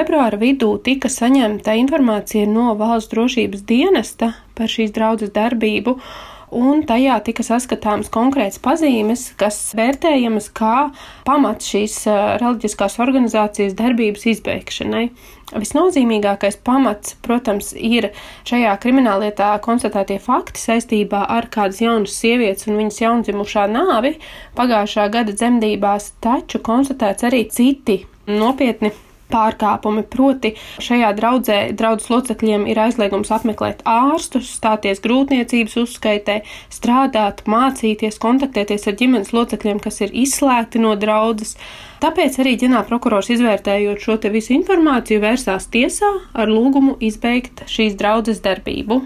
februāra vidū tika saņemta informācija no Valsts drošības dienesta par šīs draudzes darbību, un tajā tika saskatāmas konkrētas pazīmes, kas vērtējamas kā pamats šīs reliģiskās organizācijas darbības izbeigšanai. Visnozīmīgākais pamats, protams, ir šajā krimināllietā konstatētie fakti saistībā ar kādas jaunas sievietes un viņas jaundzimušā nāvi pagājušā gada dzemdībās, taču konstatēts arī citi nopietni pārkāpumi, proti šajā draudzes locekļiem ir aizliegums apmeklēt ārstus, stāties grūtniecības uzskaitē, strādāt, mācīties, kontaktēties ar ģimenes locekļiem, kas ir izslēgti no draudzes. Tāpēc arī ģenerālprokurors, izvērtējot šo visu informāciju, vērsās tiesā ar lūgumu izbeigt šīs draudzes darbību.